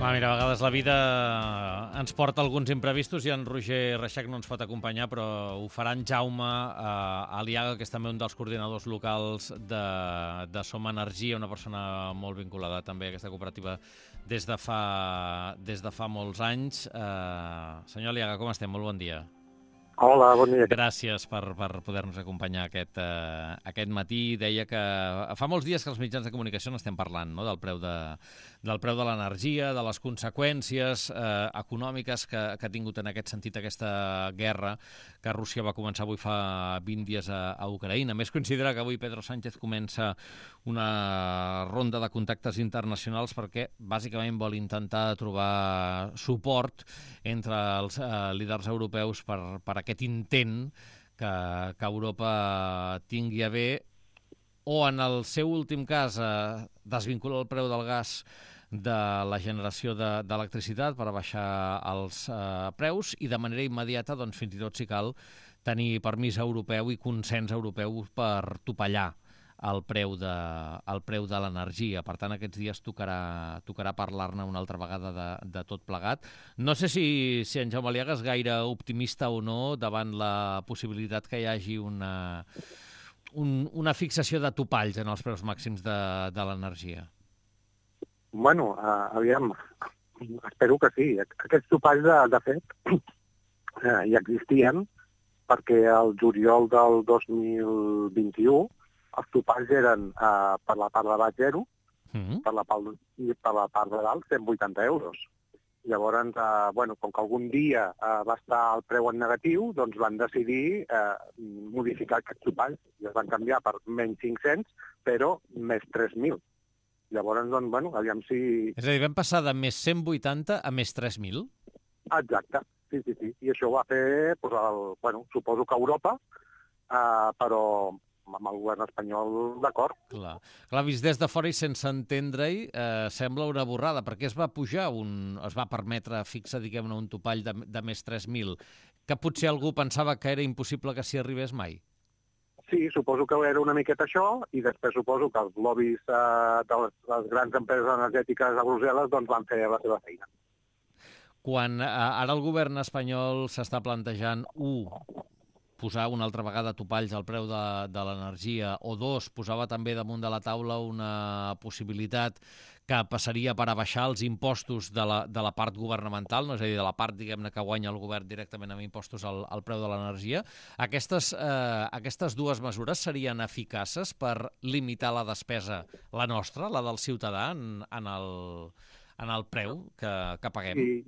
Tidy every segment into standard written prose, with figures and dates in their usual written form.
Home, mira, a vegades la vida ens porta alguns imprevistos i en Roger Reixac no ens pot acompanyar, però ho farà en Jaume Aliaga, que és també un dels coordinadors locals de Som Energia, una persona molt vinculada també a aquesta cooperativa des de fa molts anys. Senyor Aliaga, com estem? Molt bon dia. Hola, bon dia. Gràcies per poder-nos acompanyar aquest matí. Deia que fa molts dies que els mitjans de comunicació n'estem parlant, no? del preu de l'energia, de les conseqüències econòmiques que ha tingut en aquest sentit aquesta guerra que Rússia va començar avui fa 20 dies a Ucraïna. A més, considera que avui Pedro Sánchez comença una ronda de contactes internacionals perquè bàsicament vol intentar trobar suport entre els líders europeus per aquest intent que Europa tingui a bé, o en el seu últim cas desvincular el preu del gas de la generació d'electricitat per baixar els preus i de manera immediata, doncs, fins i tot si cal, tenir permís europeu i consens europeu per topallar el preu de l'energia. Per tant, aquests dies tocarà parlar-ne una altra vegada de tot plegat. No sé si en Jaume Aliaga és gaire optimista o no davant la possibilitat que hi hagi una fixació de topalls en els preus màxims de l'energia. Bueno, aviam, espero que sí. Aquests topalls, de fet, ja existien, perquè el juliol del 2021 els topalls eren per la part de baix 0, per la part de dalt 180 euros. Llavors, com que algun dia va estar el preu en negatiu, doncs van decidir modificar aquests topalls i es van canviar per menys 500, però més 3.000. Llavors, aviam si... És a dir, vam passar de més 180 a més 3.000? Exacte, sí. I això ho va fer, suposo que Europa, però amb el govern espanyol d'acord. Clar, vist des de fora i sense entendre-hi, sembla una borrada, perquè es va pujar, es va permetre fixar, diguem-ne, un topall de més 3.000, que potser algú pensava que era impossible que s'hi arribés mai. Sí, suposo que era una miqueta això, i després suposo que els lobbies de les grans empreses energètiques a Brussel·les doncs van fer la seva feina. Quan ara el govern espanyol s'està plantejant, posar una altra vegada topalls al preu de l'energia, o dos, posava també damunt de la taula una possibilitat que passaria per abaixar els impostos de la part governamental, no? És a dir, de la part, diguem-ne, que guanya el govern directament amb impostos al preu de l'energia. Aquestes dues mesures serien eficaces per limitar la despesa, la nostra, la del ciutadà, en el preu que paguem? Sí,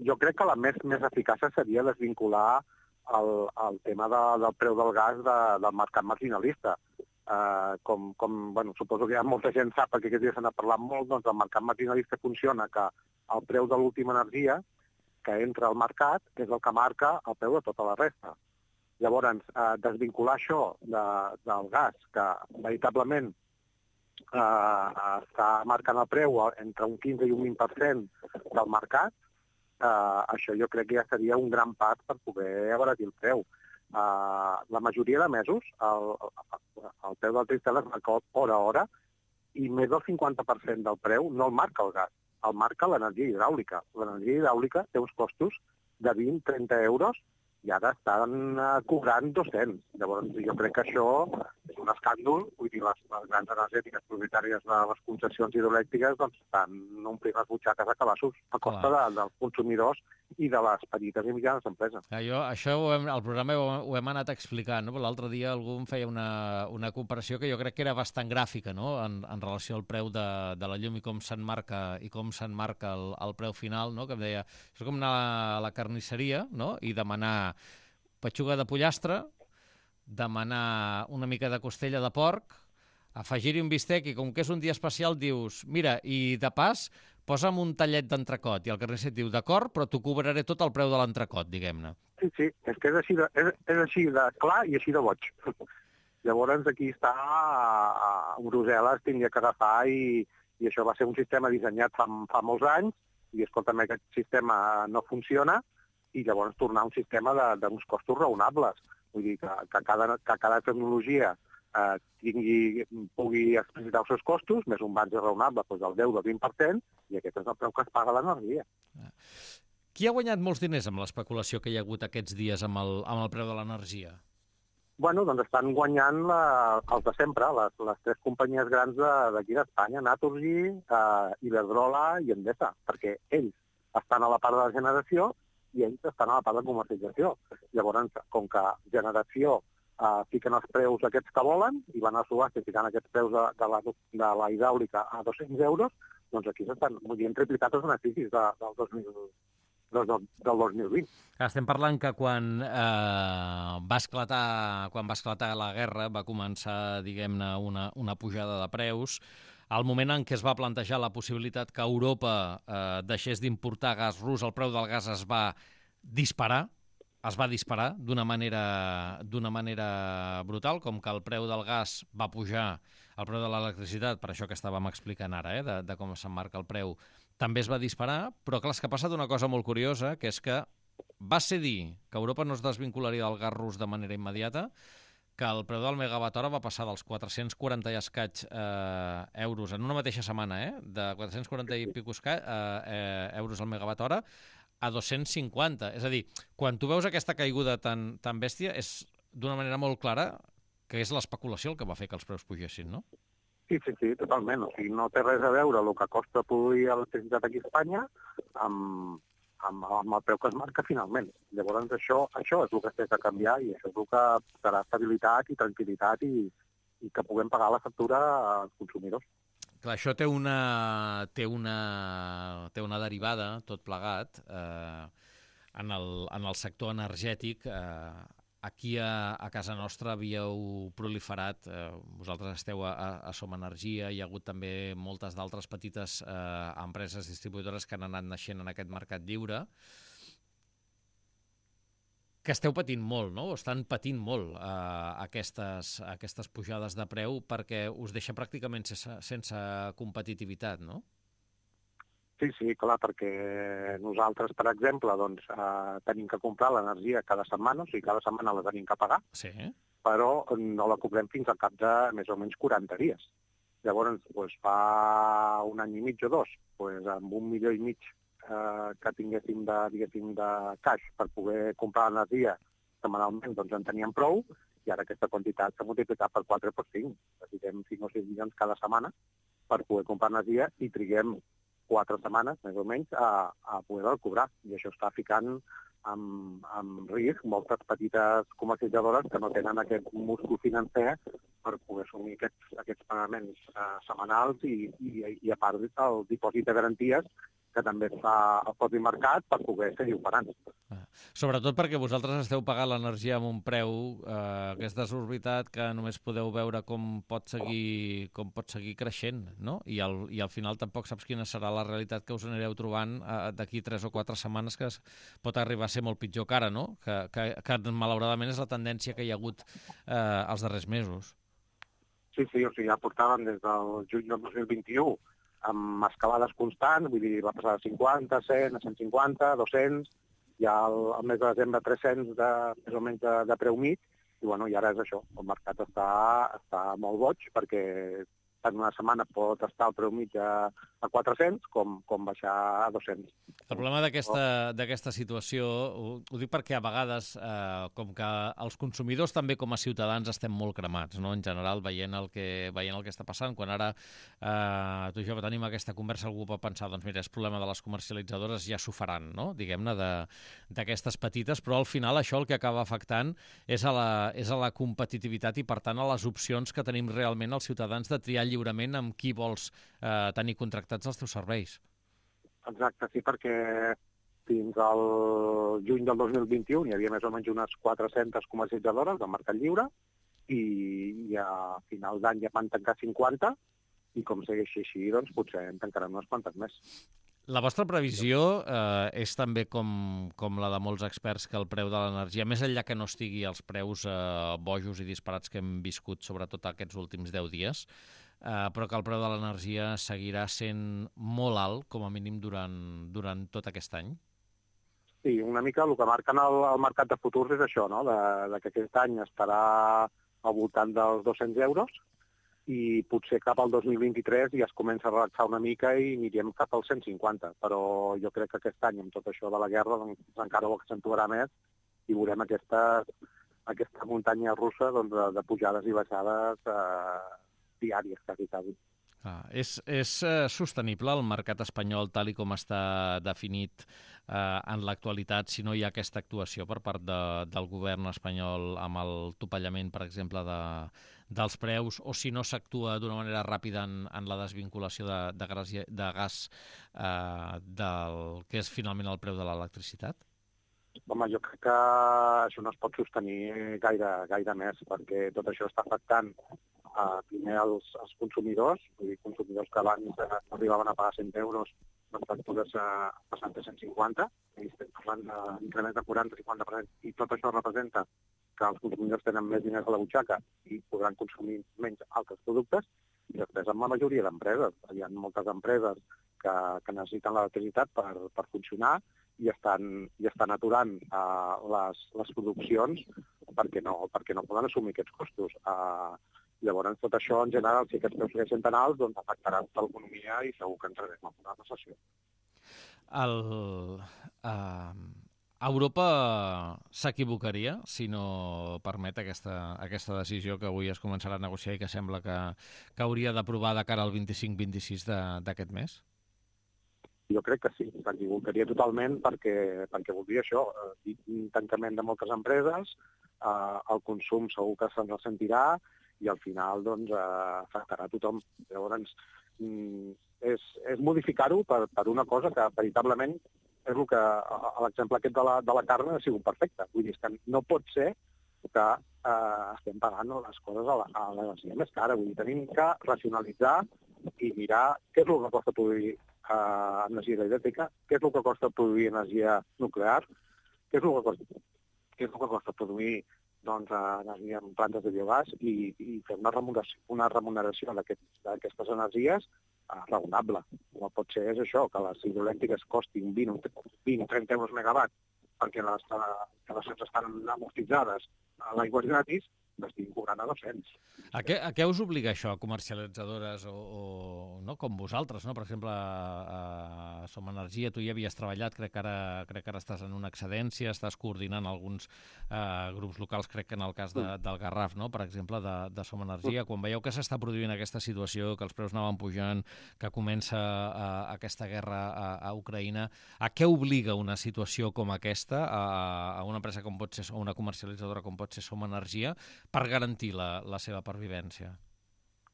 jo crec que la més eficaç seria desvincular el tema del preu del gas del mercat marginalista. Suposo que ja molta gent sap, perquè aquests dies se n'ha parlat molt, doncs el mercat marginalista funciona que el preu de l'última energia que entra al mercat és el que marca el preu de tota la resta. Llavors, desvincular això del gas, que veritablement està marcant el preu entre un 15 i un 20% del mercat, això jo crec que ja seria un gran pas per poder abaratir el preu. La majoria de mesos el preu del tristel es marca hora a hora i més del 50% del preu no el marca el gas, el marca l'energia hidràulica. L'energia hidràulica té uns costos de 20-30 euros i ara estan cobrant 200. Llavors jo crec que això és un escàndol. Vull dir, les grans energètiques propietàries de les concessions hidroelèctriques doncs estan omplint les butxaques a cabassos a costa dels consumidors i de les petites i mitjanes empreses. Això al programa ho hem anat explicant, no? L'altre dia algú em feia una comparació que jo crec que era bastant gràfica, no? En relació al preu de la llum i com s'enmarca el preu final, no? Que em deia, és com anar a la carnisseria, no? I demanar petxuga de pollastre, demanar una mica de costella de porc, afegir-hi un bistec i com que és un dia especial dius, mira, i de pas posa'm un tallet d'entrecot, i el carnisser et diu, d'acord, però t'ho cobraré tot el preu de l'entrecot, diguem-ne. Sí, és que és així de clar i així de boig. Llavors aquí està, a Brussel·les tindria que agafar i això va ser un sistema dissenyat fa molts anys i, escolta'm, aquest sistema no funciona i llavors tornar a un sistema d'uns costos raonables. Vull dir que cada tecnologia pugui explicitar els seus costos, més un marge raonable del 10 o 20%, i aquest és el preu que es paga a l'energia. Qui ha guanyat molts diners amb l'especulació que hi ha hagut aquests dies amb el preu de l'energia? Bueno, doncs estan guanyant els de sempre, les tres companyies grans d'aquí d'Espanya, Naturgy, Iberdrola i Endesa, perquè ells estan a la part de la generació i ells estan a la part de comercialització. Llavors, com que generació fiquen els preus aquests que volen i van a subhasta ficant aquests preus de la hidràulica a 200 euros, doncs aquí s'estan triplicat els beneficis del 2020. Estem parlant que quan va esclatar la guerra va començar, diguem-ne, una pujada de preus. Al moment en què es va plantejar la possibilitat que Europa deixés d'importar gas rus, el preu del gas es va disparar d'una manera brutal, com que el preu del gas va pujar, el preu de l'electricitat, per això que estàvem explicant ara, de com s'emmarca el preu, també es va disparar, però clar, és que ha passat una cosa molt curiosa, que és que va ser dir que Europa no es desvincularia del gas rus de manera immediata, que el preu del megawatt hora va passar dels 440 i escaig euros en una mateixa setmana, de 440 i pico euros al megawatt hora, a 250. És a dir, quan tu veus aquesta caiguda tan bèstia, és d'una manera molt clara que és l'especulació el que va fer que els preus pugessin, no? Sí, totalment. O sigui, no té res a veure el que costa produir electricitat aquí a Espanya amb el preu que es marca finalment. Llavors, això és el que té que canviar i això és el que serà estabilitat i tranquil·litat i que puguem pagar la factura als consumidors. Clar, això té una derivada, tot plegat, en el sector energètic. Aquí a casa nostra havíeu proliferat, vosaltres esteu a Som Energia, hi ha hagut també moltes d'altres petites empreses distribuïdores que han anat naixent en aquest mercat lliure, que esteu patint molt, no? Estan patint molt aquestes pujades de preu perquè us deixa pràcticament sense competitivitat, no? Sí, clar, perquè nosaltres, per exemple, doncs, tenim que comprar l'energia cada setmana, o sigui, cada setmana la tenim que pagar, sí, però no la cobrem fins al cap de més o menys 40 dies. Llavors, doncs, fa un any i mig o dos, doncs, amb 1,5 milions que tinguéssim de caix per poder comprar l'energia setmanalment, doncs en teníem prou, i ara aquesta quantitat s'ha multiplicat per 4 o per 5. Necessitem 5 o 6 milions cada setmana per poder comprar energia i triguem 4 setmanes, més o menys, a poder-la cobrar. I això està ficant en risc moltes petites comercialitzadores que no tenen aquest múscul financer per poder assumir aquests pagaments setmanals i a part el dipòsit de garanties que també es fa al propi mercat per poder seguir operant. Sobretot perquè vosaltres esteu pagant l'energia amb un preu que és desorbitat, que només podeu veure com pot seguir creixent, no? I al final tampoc saps quina serà la realitat que us anireu trobant d'aquí 3 o 4 setmanes, que pot arribar a ser molt pitjor que ara, no? Que malauradament és la tendència que hi ha hagut els darrers mesos. Sí, o sigui, ja portàvem des del juny del 2021 amb escalades constants, vull dir, va passar de 50, 100, a 150, 200, ja al mes de desembre 300 més o menys de preu mig, i bueno, i ara és això, el mercat està molt boig perquè en una setmana pot estar el preu mig a 400 com baixar a 200. El problema d'aquesta situació, ho dic perquè a vegades, com que els consumidors també com a ciutadans estem molt cremats, no? En general, veient el que està passant. Quan ara tu i jo tenim aquesta conversa, algú pot pensar, doncs mira, és problema de les comercialitzadores, ja s'ho faran, no? Diguem-ne, d'aquestes petites, però al final això el que acaba afectant és a la competitivitat i, per tant, a les opcions que tenim realment els ciutadans de triar lliurement amb qui vols tenir contractats els teus serveis. Exacte, sí, perquè fins al juny del 2021 hi havia més o menys unes 400 comercialitzadores del mercat lliure i a final d'any ja van tancar 50 i com segueixi així, doncs potser en tancaran unes quantes més. La vostra previsió és també com la de molts experts, que el preu de l'energia, més enllà que no estigui als preus bojos i disparats que hem viscut sobretot aquests últims 10 dies, però que el preu de l'energia seguirà sent molt alt, com a mínim durant tot aquest any? Sí, una mica el que marquen el mercat de futurs és això, no? De que aquest any estarà al voltant dels 200 euros, i potser cap al 2023 ja es comença a relaxar una mica i anirem cap als 150. Però jo crec que aquest any, amb tot això de la guerra, doncs, encara ho accentuarà més i veurem aquesta muntanya russa doncs, de pujades i baixades diàries, quasi. És sostenible el mercat espanyol tal i com està definit en l'actualitat si no hi ha aquesta actuació per part del govern espanyol amb el topallament, per exemple, dels preus, o si no s'actua d'una manera ràpida en la desvinculació de gas del que és finalment el preu de l'electricitat? Home, jo crec que això no es pot sostenir gaire més, perquè tot això està afectant primer als consumidors, vull dir, consumidors que abans arribaven a pagar 100 euros, les factures passant de 150, i estem parlant d'increments de 40-50%, i tot això representa que els consumidors tenen més diners a la butxaca i podran consumir menys altres productes, i després amb la majoria d'empreses. Hi ha moltes empreses que necessiten l'electricitat per funcionar i estan aturant les produccions perquè no poden assumir aquests costos. Llavors, tot això, en general, si aquests preus segueixen tan alts, doncs afectarà tota l'economia i segur que entrarem en una recessió. Europa s'equivocaria si no permet aquesta decisió que avui es començarà a negociar i que sembla que hauria d'aprovar de cara al 25-26 d'aquest mes? Jo crec que sí, s'equivocaria totalment perquè voldria això, un tancament de moltes empreses, el consum segur que se'n ressentirà i al final doncs, afectarà a tothom. Llavors, és modificar-ho per una cosa que veritablement és el que l'exemple aquest de la carn ha sigut perfecte. Vull dir, que no pot ser que estem pagant les coses a l'energia més cara. Vull dir, tenim que racionalitzar i mirar què és el que costa produir energia elèctrica, què és el que costa produir energia nuclear, què és el que costa produir energia en plantes de biogàs i fer una remuneració d'aquestes energies raonable. No pot ser això, que les hidroelèctriques costin 20 o 30 euros megawatt perquè les instal·lacions estan amortitzades a l'aigua gratis, n'estiguin cobrant a 200. A què us obliga això, comercialitzadores o no, com vosaltres, no? Per exemple, a Som Energia, tu hi havies treballat, crec que ara estàs en una excedència, estàs coordinant alguns grups locals, crec que en el cas del Garraf, no? Per exemple, de Som Energia. Quan veieu que s'està produint aquesta situació, que els preus anaven pujant, que comença aquesta guerra a Ucraïna, a què obliga una situació com aquesta a una empresa com pot ser, o una comercialitzadora com pot ser Som Energia, per garantir la seva pervivència?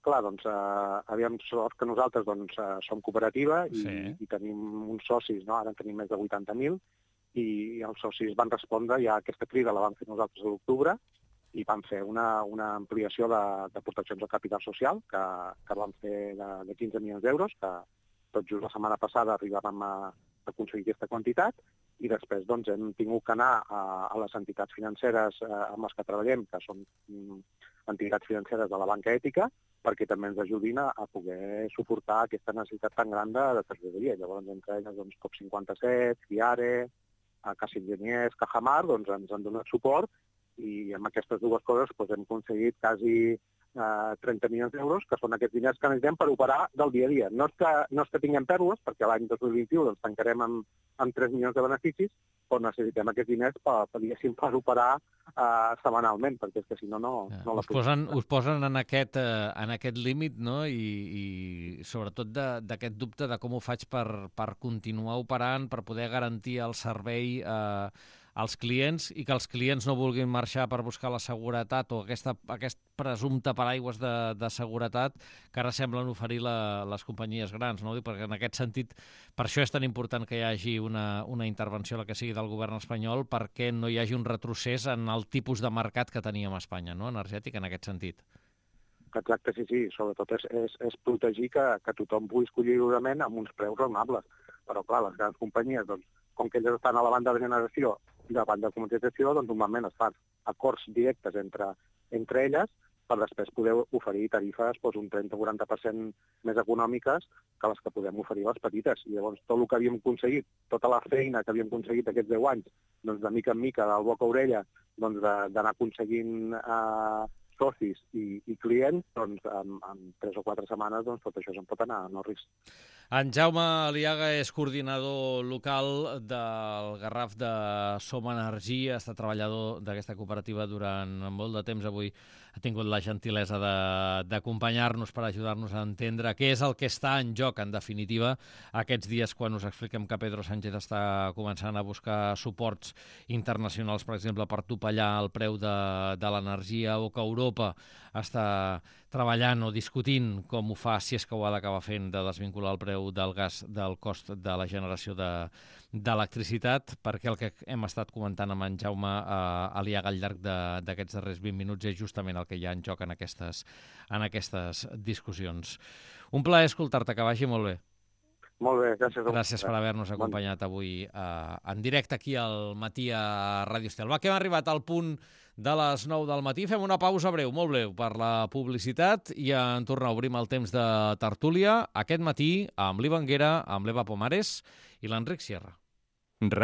Clar, doncs, aviam, sort que nosaltres som cooperativa i tenim uns socis, no? Ara en tenim més de 80.000, i els socis van respondre, ja aquesta crida la vam fer nosaltres a l'octubre, i vam fer una ampliació de proteccions al capital social, que vam fer de 15 milions d'euros, que tot just la setmana passada arribàvem a aconseguir aquesta quantitat, i després hem tingut que anar a les entitats financeres amb les que treballem, que són entitats financeres de la banca ètica, perquè també ens ajudin a poder suportar aquesta necessitat tan gran de tresoreria. Llavors, entre elles, COP57, FIARE, Caixa Enginyers, Cajamar, ens han donat suport, i amb aquestes dues coses hem aconseguit quasi 30 milions d'euros, que són aquests diners que necessitem per operar del dia a dia. No és que tinguem pèrdues, perquè l'any 2021 tancarem amb 3 milions de beneficis, però necessitem aquests diners per operar setmanalment, perquè és que si no la podem. Us posen en aquest límit, no? I sobretot d'aquest dubte de com ho faig per continuar operant, per poder garantir el servei als clients i que els clients no vulguin marxar per buscar la seguretat o aquest presumpte paraigües de seguretat que ara semblen oferir les companyies grans, no? Perquè en aquest sentit, per això és tan important que hi hagi una intervenció, la que sigui del govern espanyol, perquè no hi hagi un retrocés en el tipus de mercat que teníem a Espanya, no? Energètic, en aquest sentit. Exacte, sí. Sobretot és protegir que tothom pugui escollir lliurement amb uns preus raonables. Però, clar, les grans companyies, com que elles estan a la banda de generació i la banda de comercialització, normalment es fan acords directes entre elles per després poder oferir tarifes un 30 o 40% més econòmiques que les que podem oferir a les petites. I llavors tot el que havíem aconseguit, tota la feina que havíem aconseguit aquests 10 anys, de mica en mica, del boca a orella, d'anar aconseguint socis i clients, doncs en 3 o 4 setmanes doncs, tot això se'n pot anar a no risc. En Jaume Aliaga és coordinador local del Garraf de Som Energia, ha estat treballador d'aquesta cooperativa durant molt de temps. Avui ha tingut la gentilesa d'acompanyar-nos per ajudar-nos a entendre què és el que està en joc, en definitiva, aquests dies quan us expliquem que Pedro Sánchez està començant a buscar suports internacionals, per exemple, per topallar el preu de l'energia, o que Europa està treballant o discutint com ho fa, si és que ho ha d'acabar fent, de desvincular el preu del gas del cost de la generació d'electricitat, perquè el que hem estat comentant amb en Jaume Aliaga al llarg d'aquests darrers 20 minuts és justament el que hi ha en joc en aquestes discussions. Un plaer escoltar-te, que vagi molt bé. Molt bé, gràcies. Gràcies per haver-nos acompanyat avui en directe aquí al matí a Ràdio Estel. Va, que hem arribat al punt de les 9 del matí. Fem una pausa breu, molt breu, per la publicitat i en tornar obrim el temps de tertúlia aquest matí amb l'Iva Anguera, amb l'Eva Pomares i l'Enric Sierra.